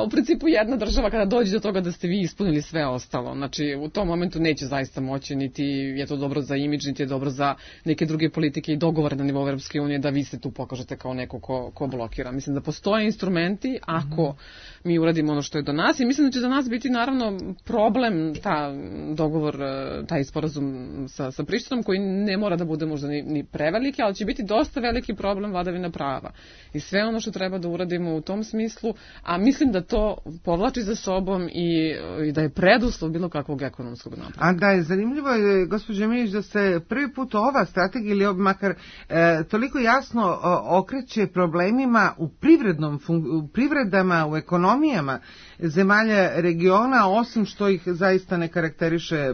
U principu jedna država kada dođe do toga da ste vi ispunili sve ostalo, znači u tom momentu neće zaista moći, niti je to dobro za imidž, niti je dobro za neke druge politike i dogovore na nivou Evropske unije da vi se tu pokažete kao neko ko blokira. Mislim da postoje instrumenti ako mi uradimo ono što je do nas i mislim da će za nas biti naravno problem ta dogovor, taj sporazum sa Prištinom koji ne mora da bude možda ni preveliki, ali će biti dosta veliki problem vladavina prava i sve ono što treba da uradimo u tom smislu, a mislim da to povlači za sobom i da je preduslov bilo kakvog ekonomskog napretka. A da je zanimljivo, gospođo Milić, da se prvi put ova strategija ili makar toliko jasno okreće problemima u privredama, u ekonomijama zemalja regiona, osim što ih zaista ne karakteriše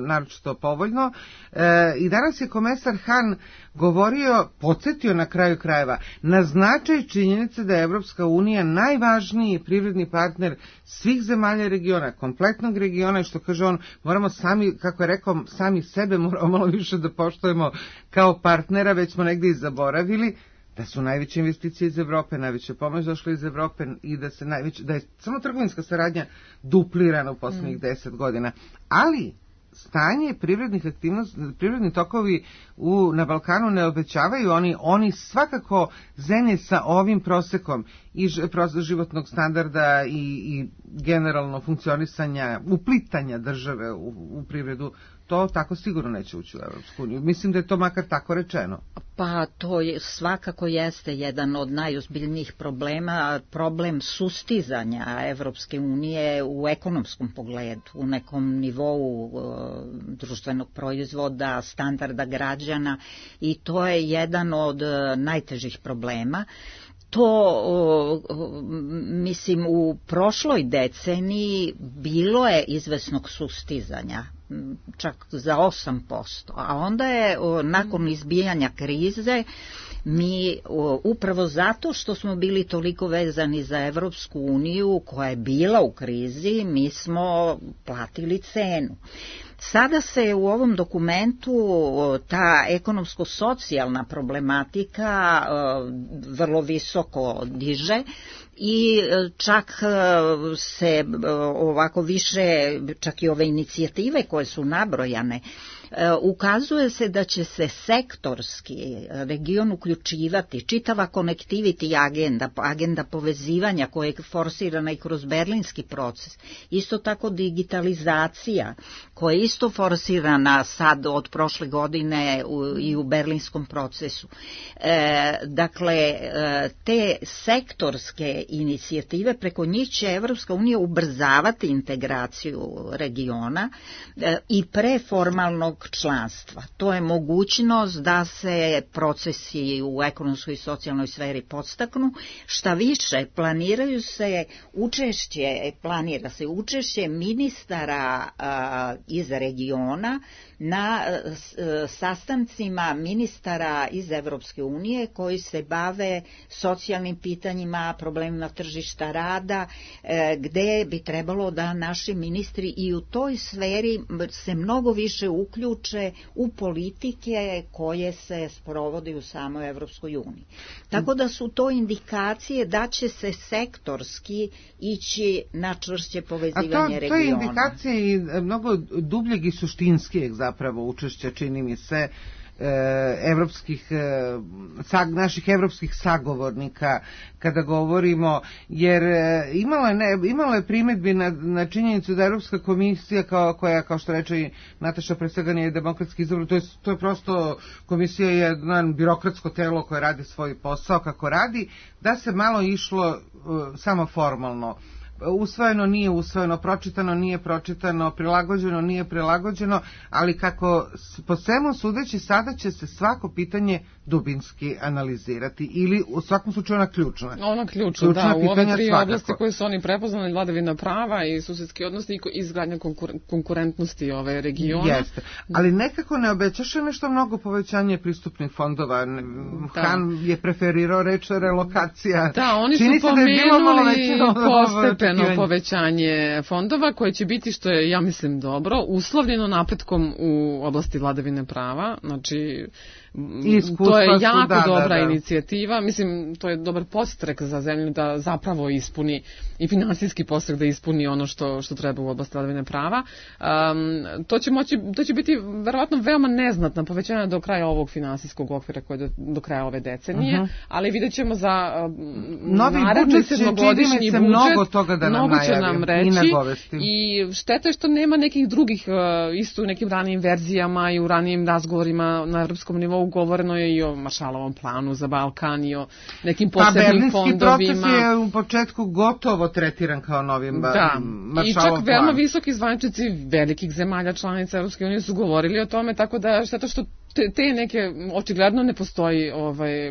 naročito povoljno. I danas je komesar Han govorio, podsjetio na kraju krajeva, na značaj činjenice da je Evropska unija najvažniji privredni partner svih zemalja regiona, kompletnog regiona, i što kaže on, moramo sami, kako je rekao, sami sebe moramo malo više da poštujemo kao partnera, već smo negdje i zaboravili da su najveće investicije iz Evrope, najveće pomoć došle iz Evrope i da je samo trgovinska saradnja duplirana u posljednjih 10 godina. Ali stanje privrednih aktivnosti, privredni tokovi na Balkanu ne obećavaju, oni svakako zemlje sa ovim prosekom i životnog standarda i generalno funkcionisanja, uplitanja države u privredu, to tako sigurno neće ući u Evropsku uniju. Mislim da je to makar tako rečeno. Pa to svakako jeste jedan od najozbiljnijih problema, problem sustizanja Evropske unije u ekonomskom pogledu, u nekom nivou društvenog proizvoda, standarda građana, i to je jedan od najtežih problema. To, mislim, u prošloj deceniji bilo je izvesnog sustizanja čak za 8%. A onda je nakon izbijanja krize mi upravo zato što smo bili toliko vezani za Evropsku uniju koja je bila u krizi, mi smo platili cenu. Sada se u ovom dokumentu ta ekonomsko-socijalna problematika vrlo visoko diže i čak se ovako više, čak i ove inicijative koje su nabrojane, ukazuje se da će se sektorski region uključivati, čitava connectivity agenda povezivanja koja je forsirana i kroz berlinski proces, isto tako digitalizacija koja je isto forsirana sad od prošle godine i u berlinskom procesu. Dakle, te sektorske inicijative, preko njih će Evropska unija ubrzavati integraciju regiona i preformalnog članstva. To je mogućnost da se procesi u ekonomskoj i socijalnoj sferi podstaknu. Šta više, planira se učešće ministara iz regiona na sastancima ministara iz Evropske unije koji se bave socijalnim pitanjima, problemima tržišta rada, gde bi trebalo da naši ministri i u toj sferi se mnogo više uključe u politike koje se sprovode u samoj Evropskoj uniji. Tako da su to indikacije da će se sektorski ići na čvršće povezivanje regiona. To je indikacija i mnogo dubljeg i suštinskijeg zapravo učešća, čini mi se, naših evropskih sagovornika kada govorimo, jer imalo je primedbi na činjenicu da Evropska komisija koja, kao što reče i Nataša, pre svega nije demokratski izabran, to je prosto, komisija je jedno birokratsko telo koje radi svoj posao kako radi, da se malo išlo samo formalno. Usvojeno nije usvojeno, pročitano nije pročitano, prilagođeno nije prilagođeno, ali kako po svemu sudeći sada će se svako pitanje dubinski analizirati ili u svakom slučaju ona ključna. Ona ključna, da, u ove tri oblasti koje su oni prepoznali, vladavina prava i susedski odnosi i izgradnja konkurentnosti ove regiona. Jeste, ali nekako ne obećaše nešto mnogo povećanje pristupnih fondova. Han je preferirao reč relokacija. Da, oni su pomenuli postepeno povećanje fondova koje će biti, što je, ja mislim, dobro, uslovljeno napretkom u oblasti vladavine prava, znači to je jako dobra inicijativa, mislim, to je dobar podstrek za zemlju da zapravo ispuni i finansijski podstrek da ispuni ono što treba u oblasti vladavine prava. To će biti verovatno veoma neznatna povećanja do kraja ovog finansijskog okvira koje je do kraja ove decenije, ali vidjet ćemo za naredni sedmogodišnji budžet mnogo će nam reći i šteta je što nema nekih drugih, isto u nekim ranijim verzijama i u ranijim razgovorima na evropskom nivou govoreno je i o Maršalovom planu za Balkan i o nekim posebnim fondovima. Berlinski proces je u početku gotovo tretiran kao novim Maršalov plan. I čak veoma visoki zvaničnici velikih zemalja članica Evropske unije su govorili o tome, tako da šteta što te neke, očigledno ne postoji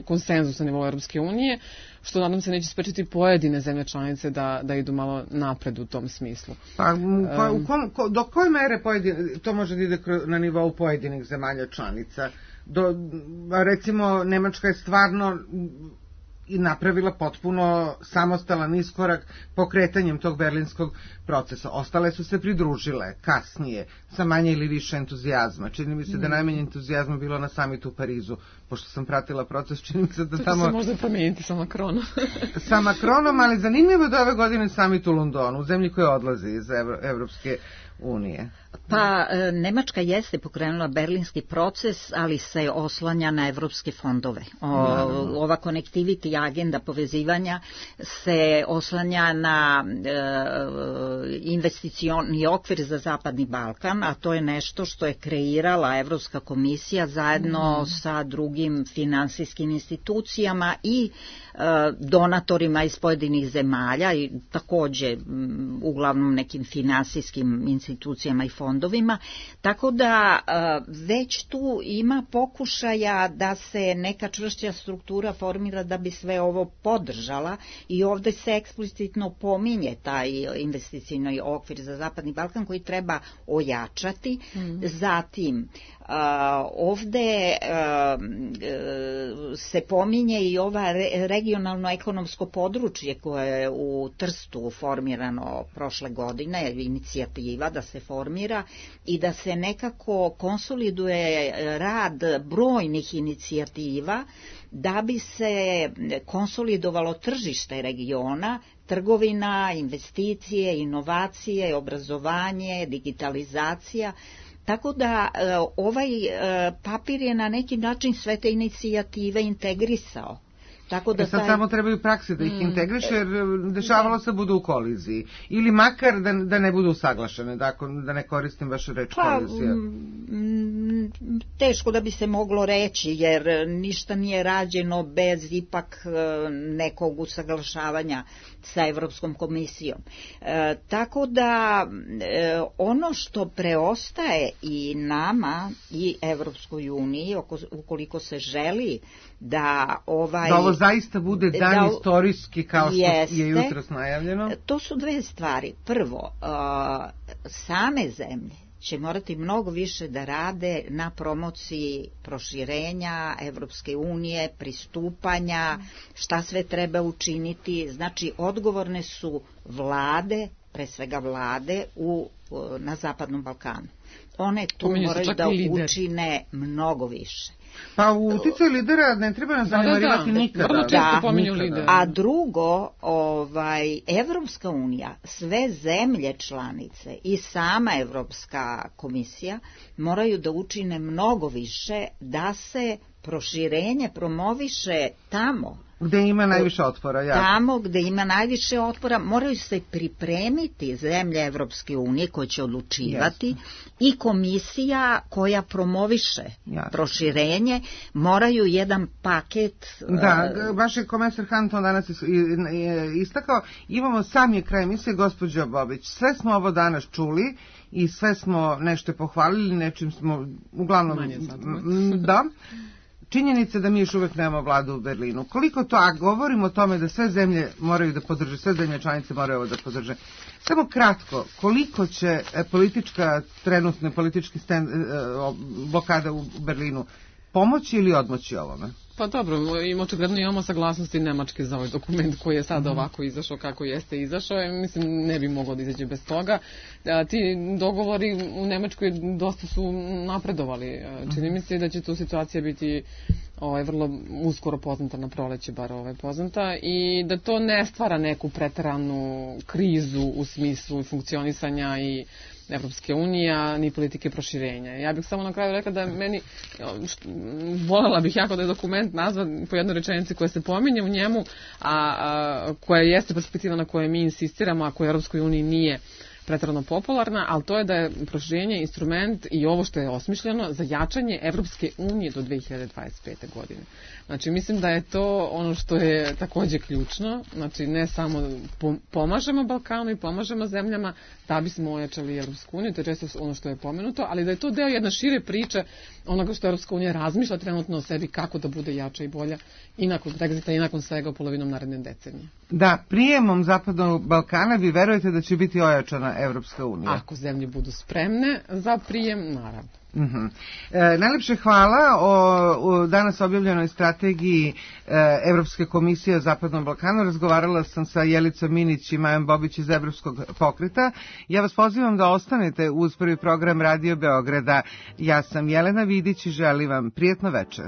konsenzus na nivou Evropske unije, što nadam se neće sprečiti pojedine zemlje članice da idu malo napred u tom smislu. Do koje mere to može da ide na nivou pojedinih zemalja članica? Recimo, Nemačka je stvarno i napravila potpuno samostalan iskorak pokretanjem tog berlinskog procesa. Ostale su se pridružile kasnije sa manje ili više entuzijazma. Čini mi se da najmanje entuzijazma bilo na samitu u Parizu, pošto sam pratila proces, čini mi se da tamo... To se možda promijeniti sa Macronom. Sa Macronom, ali zanimljivo da ove godine samit u Londonu, u zemlji koja odlazi iz Evropske unije. Pa, Nemačka jeste pokrenula berlinski proces, ali se oslanja na evropske fondove. Ova connectivity agenda povezivanja se oslanja na investicioni okvir za Zapadni Balkan, a to je nešto što je kreirala Evropska komisija zajedno sa drugim finansijskim institucijama i donatorima iz pojedinih zemalja i takođe uglavnom nekim finansijskim institucijama i fondovima, tako da već tu ima pokušaja da se neka čvršća struktura formira da bi sve ovo podržala i ovde se eksplicitno pominje taj investicioni okvir za Zapadni Balkan koji treba ojačati. Zatim, ovde se pominje i ova regionalno ekonomsko područje koje je u Trstu formirano prošle godine, inicijativa da se formira i da se nekako konsoliduje rad brojnih inicijativa da bi se konsolidovalo tržište regiona, trgovina, investicije, inovacije, obrazovanje, digitalizacija. Tako da ovaj papir je na neki način sve te inicijative integrisao. Tako da sad samo trebaju prakse da ih integriše, jer dešavalo se budu u koliziji. Ili makar da ne budu usaglašene, da ne koristim vašu reč kolizija. Teško da bi se moglo reći, jer ništa nije rađeno bez ipak nekog usaglašavanja sa Evropskom komisijom. Tako da ono što preostaje i nama i Evropskoj uniji, ukoliko se želi da ovo zaista bude dan istorijski kao što je jutros najavljeno? To su dve stvari. Prvo, same zemlje će morati mnogo više da rade na promociji proširenja Evropske unije, pristupanja, šta sve treba učiniti. Znači, odgovorne su vlade, pre svega vlade na Zapadnom Balkanu. One tu moraju da učine mnogo više. Pa uticaj lidera ne treba nas zanemarivati nikada. A drugo, Evropska unija, sve zemlje članice i sama Evropska komisija moraju da učine mnogo više da se proširenje promoviše tamo gde ima najviše otpora. Tamo gde ima najviše otpora moraju se pripremiti zemlje Evropske unije koje će odlučivati i komisija koja promoviše proširenje moraju jedan paket. Da, baš je komesar Han to danas istakao. Imamo sam je kraj emisije, gospođo Bobić. Sve smo ovo danas čuli i sve smo nešto pohvalili, nečim smo uglavnom činjenica da mi još uvek nemamo vladu u Berlinu. Koliko to, a govorimo o tome da sve zemlje moraju da podrže, sve zemlje članice moraju ovo da podrže. Samo kratko, koliko će trenutne politički blokada u Berlinu pomoći ili odmoći ovome? Pa dobro, očigledno imamo saglasnosti Nemačke za ovaj dokument koji je sada ovako izašao kako jeste izašao. Mislim, ne bi moglo da izađe bez toga. Ti dogovori u Nemačkoj dosta su napredovali. Čini mi se da će tu situacija biti vrlo uskoro poznata, na proleće bar poznata, i da to ne stvara neku preteranu krizu u smislu funkcionisanja i Evropske unije, ni politike proširenja. Ja bih samo na kraju rekla da meni, voljela bih jako da je dokument nazvan po jednoj rečenici koja se pominje u njemu, a koja jeste perspektiva na kojoj mi insistiramo, a koja u Evropskoj uniji nije preterano popularna, ali to je da je proširenje instrument i ovo što je osmišljeno za jačanje Evropske unije do 2025. godine. Znači, mislim da je to ono što je takođe ključno. Znači, ne samo pomažemo Balkanu i pomažemo zemljama da bismo ojačali Evropsku uniju, to je često ono što je pomenuto, ali da je to deo jedne šire priče onoga što Evropska unija razmišlja trenutno o sebi kako da bude jača i bolja i nakon Brexita i nakon svega polovinom naredne decenije. Da, prijemom Zapadnog Balkana vi verujete da će biti ojačana Evropska unija? Ako zemlje budu spremne za prijem, naravno. Najlepše hvala o danas objavljenoj strategiji Evropske komisije o Zapadnom Balkanu. Razgovarala sam sa Jelicom Minić i Majom Bobić iz Evropskog pokreta. Ja vas pozivam da ostanete uz prvi program Radio Beograda. Ja sam Jelena Vidić i želim vam prijatno večer.